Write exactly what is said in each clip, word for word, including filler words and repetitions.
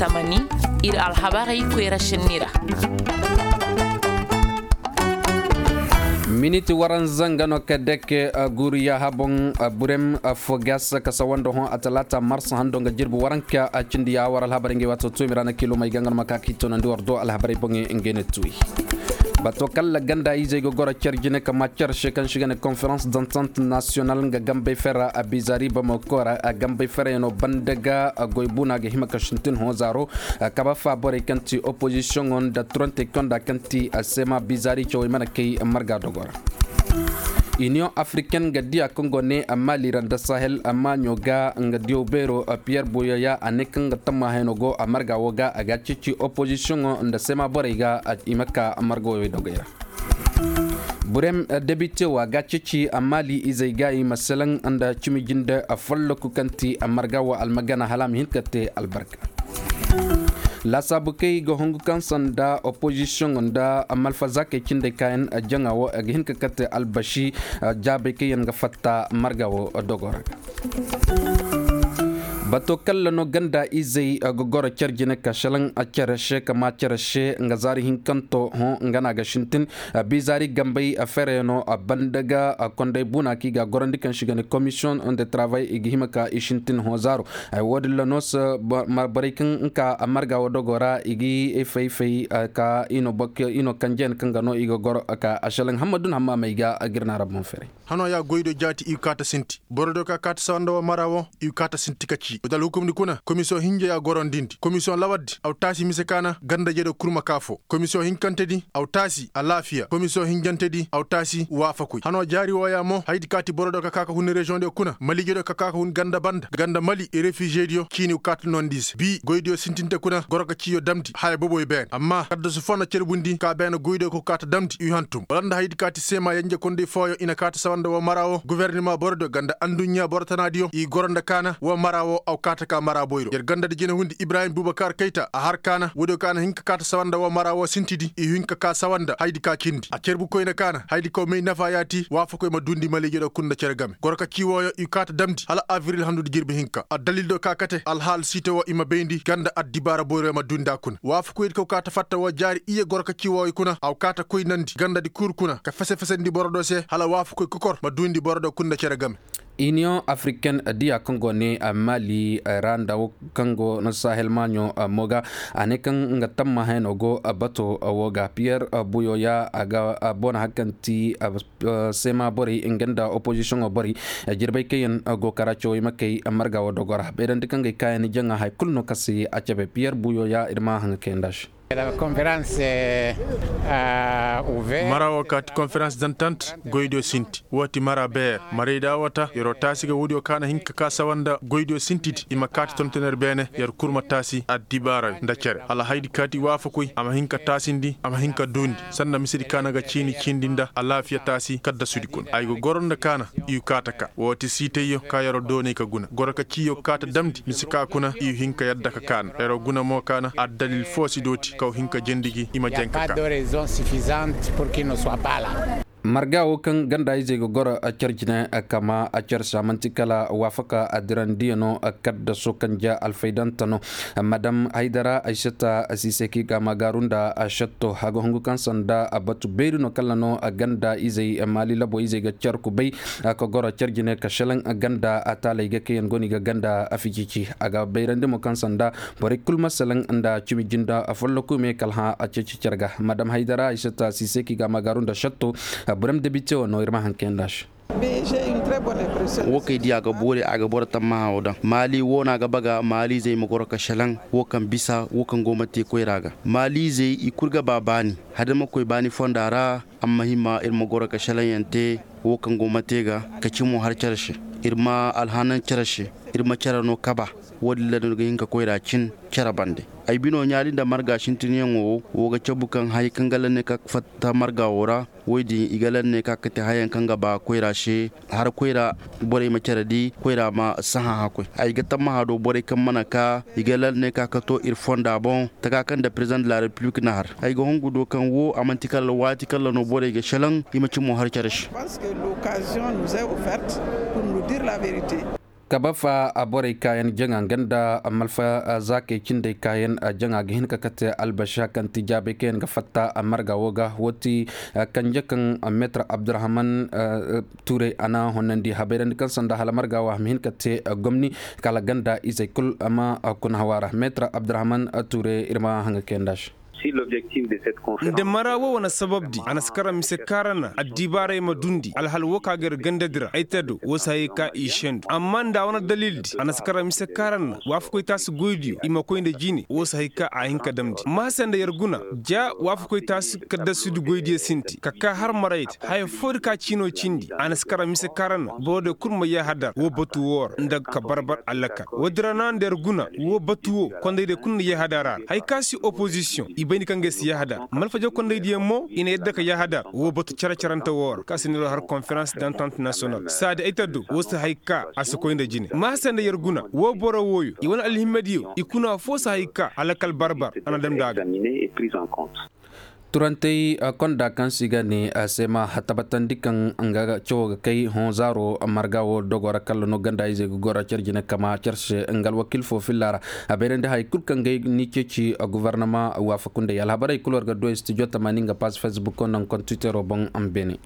Tamani, ir alhabarey koyra šenni ra. Miniti waranza nga no ka deke, guuri yaaha boŋ. Burem fo gas ka sawanda hõ a talaata mars hando nga jirbi waranka a cindi ya war alhabarey ngey waato tuumi ra na kiilomey ga nga no ma ka ka i toonandi war do alhabarey boŋey ngey na tuuyi. Bato kalla ganda izey ga goro cer jine ka ma cer se kaŋ se ga ne konferans dantant nasiyonal nga gambey fera a bizaari bamako ra a gambey fera yaŋ no banda ga goy buuna ga hima ka sintin hõ zaaro. Kaba fa borey kaŋ ti opozisiyoŋo nda turonte konda kaŋ ti a seema bizaari cawey mana kay marga dogo ra. Iniyoŋ afriken ga diya kaŋ go ne a maali ra nda sahel a maaɲo ga nga diyaw beero piyer buyoya a ne kaŋ ga tamma hayno go a marga wo ga a ga a ceeci opozisiyoŋo nda seema borey ga i ma ka marga woyey dogey ra. Burem debite wo a ga a ceeci a maali izey ga i ma selaŋ nda cimi jinde folloku kaŋ ti a marga wo almagana hala a ma hin ka te albarka. Laasaabu kay ga hungu kaŋ sanda opozisiyoŋ nda malfazakey cindey kaayaŋ jaŋa wo a ga hin ka kate albasi jaabey kaŋ yaŋ ga fatta marga wo dogo ra. Bato kalla no ganda izey ga goro cer jine ka selaŋ a cere se ka ma cere se nga zaari hinkanto hõ nga no a ga sintin. Bizaari gambey a fereyaŋo a banda ga a konday buna kaŋ i ga a gorandi kaŋ se i ga ne komisiyoŋ de travay i ga hima ka i sintin hõ zaaro. Ay wo- din ra no se borey kaŋ ka a marga wo dogo ra i ga i fay fay ka i no kanjeyaŋ kaŋ ga no i ga goro ka a selaŋ hammadun hammaamey ga a ga ir na ra boŋ feray. Hano ya goydo jaati i ga kaata sinti borodiyo ka kaata sawanda wo mara wo i ga kaata sinti ka ci wata alhukumdi kuna komisiyoŋ hinja ya gorondindi komisiyoŋ lawardi aw taasi mise kaana ganda jede kurma kaafo. Komisiyoŋ hinkantedi aw taasi alaafiya komisiyoŋ hinjantedi aw taasi waafakoy hano jaari wooya mo haydi kaati borodiyo ka kaaka hun reziyoŋdiyo kuna maliijediyo ka kaaka hun ganda banda ganda mali refiziyediyo ciini kaata nondi se bi goydiyo sintinte kuna goro ka ciiyo damndi haya boboy beene amma kaddasu foo na cerbundi ka beene goydiyo ka kaata damndi i hantum wala nda haydi kaati seema yenje kondey fooyo i na kaata sawanda woo mara woo gubernima borodiyo ganda anduɲɲa boro tanaadiyo i goro nda kaana woo mara woo aw kaata ka mara boyro yer gandadi jine hundi ibrahim bubakar kayta a har kaana woodiyo ka na hin ka kaata sawanda woo mara woo sintidi i hin ka kaa sawanda haydi ka cindi a cerbu koyne kaana haydi kaw may nafa yaati waafakoy ma duundi maliijo diyo kul nda cere game goro ka cii wooyo i kaata damndi hala abril handudi jirbi hinka addalil diyo ka kate alhaal siite woo i ma bayndi ganda addibaara boyro ma duundi a kuna waafakoydi kaw kaata fatta woo jaari iyye goro ka cii wooyo kuna aw kaata koynandi gandadi kul kuna ka fese-fesandi boro diyo se hala waafakoy kokor ma duundi boro diyo kul nda cere game. Iniyoŋ afriken diya kaŋ go ne maali ra nda kaŋ go na sahel maaɲo mo ga a ne kaŋ nga tamma hayno go bato woo ga piyer buyo ya a ga bona hari kaŋ ti seema borey nga nda opozisiyoŋo borey jirbey kaŋ yaŋ go kara cawey ma kay marga woo dogo ra bayrandi kaŋ gay kaayaŋ jaŋa hari kulu no kaŋ se a cabe piyer buyo ya ir ma haŋa kayandi a se. Mara woo kaati konferans dantant goydiyo sinti woo ti mara beer marayda woo ta yeroo taasi ga woodiyo ka na hin ka kaa sawa nda goydiyo sintidi i ma kaati tontoner beene yer kul ma taasi addibaara nda cere hala haydi kaati waafakoy a ma hin ka taasindi a ma hin ka duundi sanda misedi ka na ga ciini cindi nda alaafiya taasi kaddasudi kuna ay ga goro nda kaana i kaata ka woo ti siitayyo ka yeroo doonay ka guna goro ka ciiyo kaata damndi mise ka kuna i hin ka yadda ka kaana yeroo guna mo kaana addalil foo si dooti kaw hin ka jendi gi i ma jaŋ ka kaa. Marga woo kaŋ ganda izey ga goro car jine kama car se a man'ti kala waafaka adirandiyo no kaddaso kaŋ ja alfaydante no madam haydara aysata siseki ga magaaru nda shatto a ga hungu kaŋ sanda batu beeri no kala no ganda izey maali labo izey ga car kubay ka goro car jine ka shelaŋ ganda taaley ga kaŋ yaŋ go no i ga ganda aficici a ga bayrandi mo kaŋ sanda borey kul ma salaŋ nda cimi jinda folloku me kala hã a ceeci care ga madam haydara aysata siseki ga magaaru nda shatto burem debite woo no ir ma haŋ kayandi a se. Woo kay di a ga boori a ga boro tammaha woo daŋ maali woo no a ga baga maaliizey ma goro ka shelaŋ woo kaŋ bisa woo kaŋ go ma te koyra ga maaliizey i kul ga ba baani hadamakoy baani fonda ra amma hima ir ma goro ka shelaŋyaŋ te woo kaŋ go ma te ga ka cimo har care se ir ma alhanan care se ir ma care no kaba woo din ra no ir ga hin ka koyra cin care bande ay bino ɲaali nda marga sintinyaŋo woo ga cabu kaŋ haya kaŋ ga lanne ka fatta marga woo ra woy din i ga lanne ka kate hayaŋ kaŋ ga ba koyra se har koyra borey ma care di koyra ma sahã hakkoy ay ga tammaha do borey kaŋ mana ka i ga lanne ka kato ir fonda boŋ taka kaŋ nda president de la republik na har ay ga hungu do kaŋ woo a man'ti kala waati kala no borey ga shelaŋ i ma cimo har care se. Kabafa borey kaayaŋ jaŋa nga nda malfa zaakey cindey kaayaŋ jaŋa ga hin ka kate albaša kaŋ ti jaabey kaŋ yaŋ ga fatta marga wo ga wo ti kanje kaŋ meetar abdurahman tuurey a na honnandi habayrandi kaŋ sanda hala marga wo a ma hin ka te gomni kala ganda izey kul ma kuna hawa ra meetar abdurahman tuurey ir ma haŋa kayanda se. Nda mara wo wane sababdi a na si kara mise kaarana addibaarey ma dundi alhal wo ka ga ir gandadi ra ay te do wo si hay ka i sendu amma nda a wane dalildi a na si kara mise kaarana waafakoy taasi goydiyo i ma koy nda jine wo si hay ka a hin ka damndi maase nda yer guna ja waafakoy taasi kaddasudi goydiyo sinti ka ka har maraydi haya foodi ka ciino cindi a na si kara mise kaarana borodiyo kul ma yahadar wo batu wo ra nda ka barbar allakal woodi ra na nda yer guna wo batu wo kondaydiyo kul na yahadar a ra hay ka si opozisiyoŋ i bay ni kaŋ ga ay si yahadar malfaja kondaydiyo mo i na yadda ka yahadar wo batu care-carante wo ra ka si neeroo har konferans dantant nasiyonal saadi ay taddo wo si hay ka a si koy nda jine maase nda yer guna wo boro wooyo i wane alhimadiyo i kuna foo si hay ka hala kal barbar a na damndi a ga. Turantey konda kaŋ se i ga ne seema tabatandi kaŋ nga cawo ga kay hõ zaaro marga wo dogo ra kala no ganda izey ga goro care jine kama care se nga alwakiil fo filla ra a bayrandi hay kul kaŋ ga ni ceeci gufarnama waafakundey alhabarey kul war ga du studio tamani nga paas facebook naŋ kontitero boŋ a ma beene.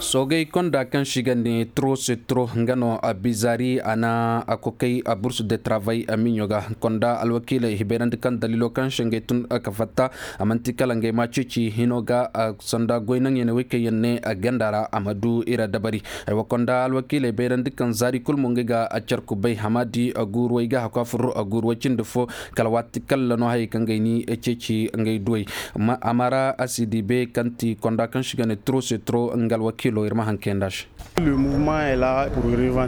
Soogey konda kaŋ se i ga ne tro se tro nga no bizaari a na a kokay a bursu de travay a miɲo ga konda alwakiiley hibayrandi kaŋ daliilo kaŋ se ngey tun ka fatta a manti kala ngey ma ceeci hino ga sanda goy naŋ yene wey kaŋ yaŋ ne ganda ra a ma du ira dabari. Ay wa konda alwakiiley bayrandi kaŋ zaari kul mo ngey ga a care kubay hamaadi guuruwey ga hakwa fur guuruwey cindi fo kala waati kalla no hayey kaŋ gay ni ceeci ngey duwey. Amara asidi be kaŋ ti konda kaŋ se i ga ne tro se tro nga alwakiilo ir ma hankey nda se.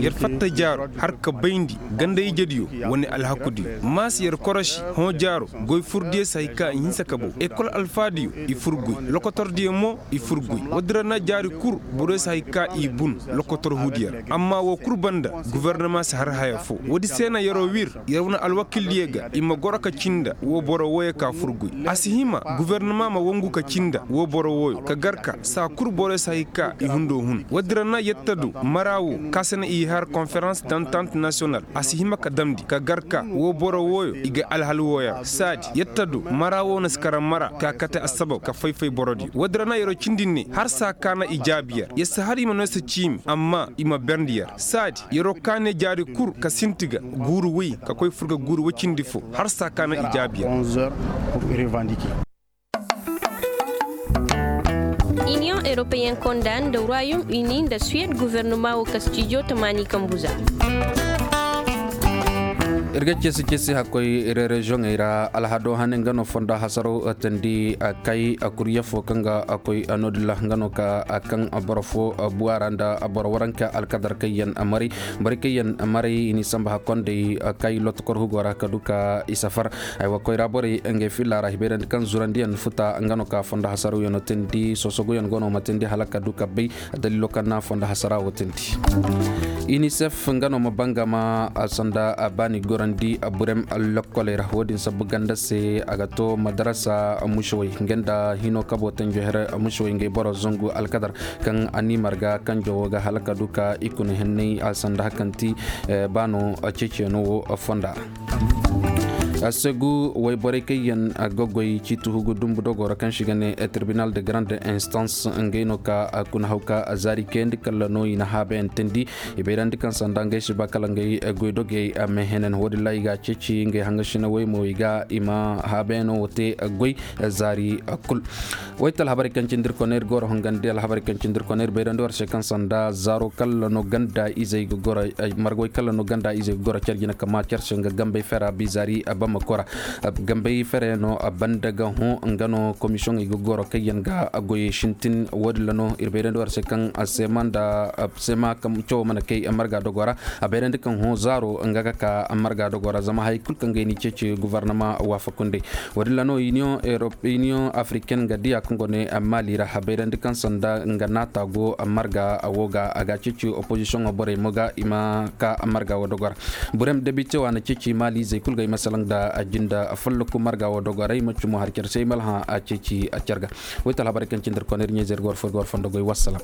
Yer fatta jaaro har ka bayndi ganda ijediyo wane alhakudiyo maasa yer korosi hõ jaaro goy furdiyo si hay ka i hinsa ka bow ekol alfaadiyo i fur goy lokotordiyo mo i fur goy woodi ra na jaari kul boroyo si hay ka i bun lokotor huudiyo ra amma woo kul banda gofornama si har haya fo woodi se na yeroo wir yer wane alwakildiyo ga i ma goro ka cinda woo boro wooyo ka fur goy a si hima gofornama ma wangu ka cinda woo boro wooyo ka gar ka saa kul boroyo si hay ka i hundo hun woodi ra na yetta du mara woo kaŋ se na i har konferans dantant nasiyonal a si hima ka damndi ka gar ka woo boro wooyo i ga alhal wooyo ra saadi yetta du mara woo na si kara mara ka kate assabab ka fay-fay borodiyo woodi ra na yeroo cindi ne har saa ka na i jaabi yer yer si har i ma no yer si ciimi amma i ma berndi yer saadi yeroo ka ne jaari kul ka sinti ga guuru woy ka koy fur ga guuru woy cindi fo har saa ka na i jaabi yer. Iniyoŋ eropeyen konda nda royom ini nda suwed gofornoma wo ka stijo tamaani kambu za. Ir ga cesi cesi hakkoy rereziyoŋey ra alhado hane nga no fondo hasaro tandi kay kurye fo kaŋ ga koy no- din ra nga no ka kaŋ boro fo buwa ra nda boro waranka alkadar kaŋ yaŋ maray borey kaŋ yaŋ maray i n'i samba hakkondey kay lotokor hugo ra ka du ka i safar. Aywa koyra borey ngey filla ra hibayrandi kaŋ zurandiyaŋ futa nga no ka fondo hasaraw yaŋ no tindi sosoguyaŋ go no ma tindi hala ka du ka bay daliilo kaŋ na fondo hasara wo tindi. Inisef nga no ma bangama sanda baani gorandi burem lokkoley ra wo- din sabu ganda se a ga to madarasa mušawey nga nda hino kabo tanjo here mušawey ngey boro zangu alkadar kaŋ a ni marga kanjo wo ga hala ka du ka i kuna henney a sanda hakanti baano ceeciyaŋo wo fonda. Segu wayborey kaŋ yaŋ ga goy ciiti hugu dumbu dogo ra kaŋ se i ga ne tribunal de grande instance ngey no ka kuna haw ka zaari kayandi kalla no i na haabayaŋ teendi. I bayrandi kaŋ sanda ngey si ba kala ngey goydogey meehenen wo- din ra i ga a ceeci ngey haŋasinawey mo i ga i ma haabayaŋo wo te goy zaari kul. Wayta alhabarey kaŋ cindi ir kona ir goro hangandi alhabarey kaŋ cindi ir kona ir bayrandi war se kaŋ sanda zaaro kalla no ganda izey ga goro margawey kalla no ganda izey ga goro care jina kama care se nga gambey fera bizari bamako ra. Gambey fera yaŋ no banda ga hõ nga no komisiyoŋey ga goro kaŋ yaŋ ga goyey sintin wo- din ra no ir bayrandi war se kaŋ sema nda sema kaŋ cawo mana kay marga dogo ra. A bayrandi kaŋ hõ zaaro nga ga ka marga dogo ra zama hay kulu kaŋ ga ay ni ceeci guvarnama waafakundey. Wo- din ra no iniyoŋ afriken ga diya kaŋ go ne maali ra a bayrandi kaŋ sanda nga naata go marga wo ga a ga a ceeci opozisiyoŋo borey mo ga i ma ka marga wo dogo ra. Burem debite wa na ceeci maali izey kulu ga ay ma salaŋ nda jinda fallaku marga wo dogo ra ay ma cumo har care se ay ma alhã a ceeci a care ga. Wayta alhabarey kaŋ cindi ir kona ir ɲa-izey ir ga war fo ir ga war fondo goy wassalam.